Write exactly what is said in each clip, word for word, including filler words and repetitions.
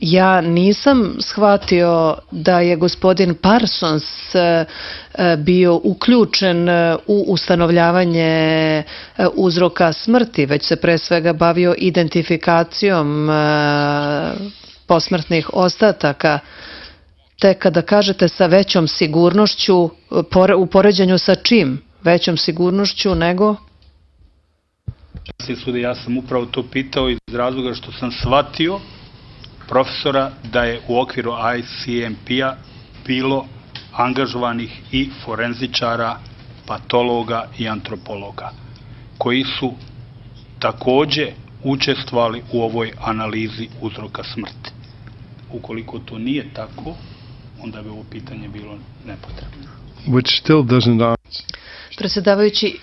Ja nisam shvatio da je gospodin Parsons bio uključen u ustanovljavanje uzroka smrti, već se pre svega bavio identifikacijom posmrtnih ostataka. Te kada kažete sa većom sigurnošću, u poređenju sa čim? Većom sigurnošću nego? Ja sam upravo to pitao iz razloga što sam shvatio profesora da je u okviru I C M P-a bilo angažovanih i forenzičara, patologa i antropologa, koji su takođe učestvovali u ovoj analizi uzroka smrti. Ukoliko to nije tako, onda bi ovo pitanje bilo nepotrebno. Which still doesn't answer. Predsjedavajući,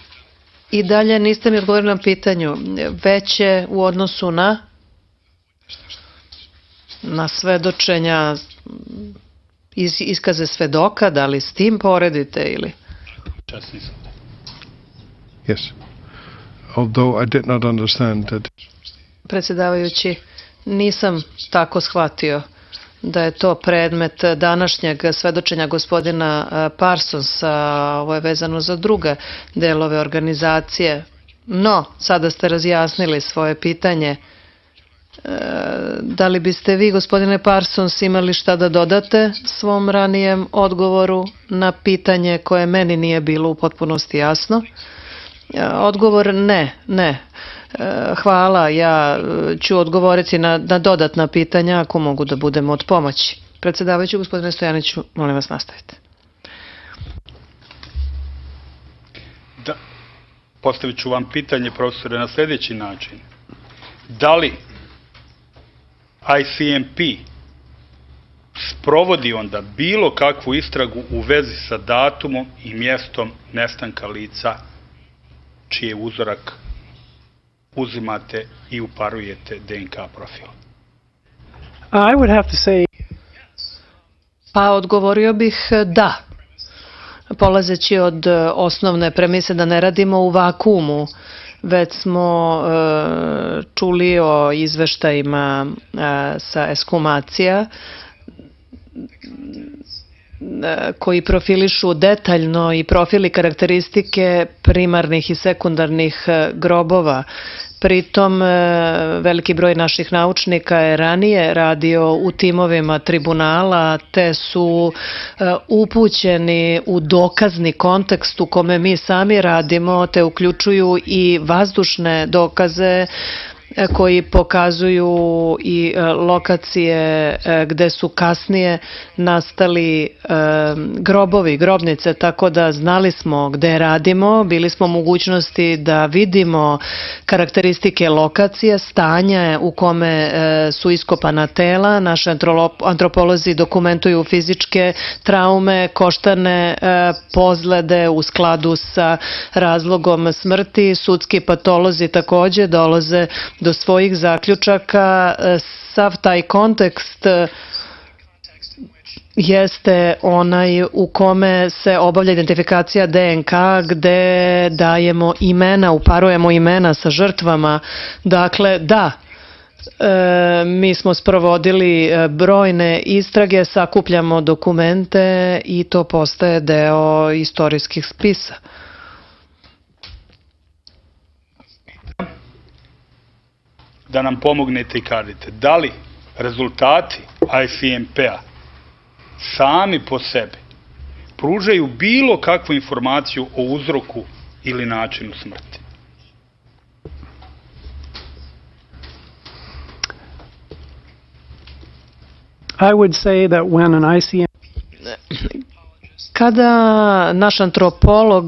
i dalje niste mi odgovorili na pitanju. Veće u odnosu na na svedočenja, iz, iskaze svedoka, da li s tim poredite ili? Čas nisam. Yes. Although I did not understand that. Predsjedavajući, nisam tako shvatio da je to predmet današnjeg svedočenja gospodina Parsonsa, ovo je vezano za druge delove organizacije. No, sada ste razjasnili svoje pitanje. Da li biste vi, gospodine Parsons, imali šta da dodate svom ranijem odgovoru na pitanje koje meni nije bilo u potpunosti jasno? Odgovor ne, ne. Hvala, ja ću odgovoriti na, na dodatna pitanja ako mogu da budem od pomoći. Predsjedavajući, gospodine Stojaniću, molim vas nastavite. Da, postavit ću vam pitanje, profesore, na sljedeći način. Da li I C M P sprovodi onda bilo kakvu istragu u vezi sa datumom i mjestom nestanka lica čiji uzorak uzimate i uparujete D N K profil? I would have to say... Pa odgovorio bih da. Polazeći od osnovne premise da ne radimo u vakuumu, već smo e, čuli o izveštajima e, sa ekshumacija e, koji profilišu detaljno i profili karakteristike primarnih i sekundarnih e, grobova. Pritom, veliki broj naših naučnika je ranije radio u timovima tribunala, te su upućeni u dokazni kontekst u kome mi sami radimo, te uključuju i vazdušne dokaze koji pokazuju i lokacije gde su kasnije nastali grobovi, grobnice, tako da znali smo gde radimo, bili smo u mogućnosti da vidimo karakteristike lokacije, stanja u kome su iskopana tela, naši antropolozi dokumentuju fizičke traume, koštane pozlede u skladu sa razlogom smrti, sudski patolozi takođe dolaze do svojih zaključaka. Sav taj kontekst jeste onaj u kome se obavlja identifikacija D N K, gde dajemo imena, uparujemo imena sa žrtvama. Dakle, da, e, mi smo sprovodili brojne istrage, sakupljamo dokumente i to postaje deo istorijskih spisa. Da nam pomognete i kažete, da li rezultati I C M P-a sami po sebi pružaju bilo kakvu informaciju o uzroku ili načinu smrti? I would say that when an I C M Kada naš antropolog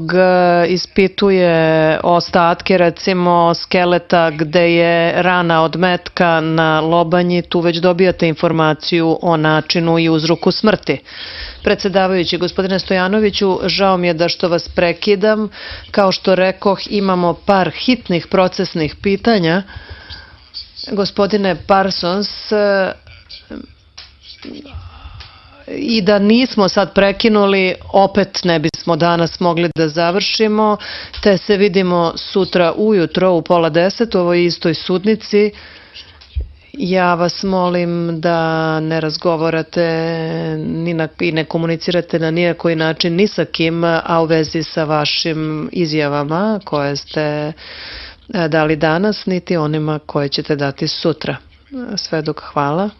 ispituje ostatke, recimo skeleta gde je rana od metka na lobanji, tu već dobijate informaciju o načinu i uzroku smrti. Predsjedavajući, gospodine Stojanoviću, žao mi je da što vas prekidam. Kao što rekoh, imamo par hitnih procesnih pitanja. Gospodine Parsons, i da nismo sad prekinuli, opet ne bismo danas mogli da završimo, te se vidimo sutra ujutro u pola deset u ovoj istoj sudnici Ja vas molim da ne razgovarate ni na, i ne komunicirate na nijakoj način ni sa kim, a u vezi sa vašim izjavama koje ste dali danas, niti onima koje ćete dati sutra. Sve dok hvala.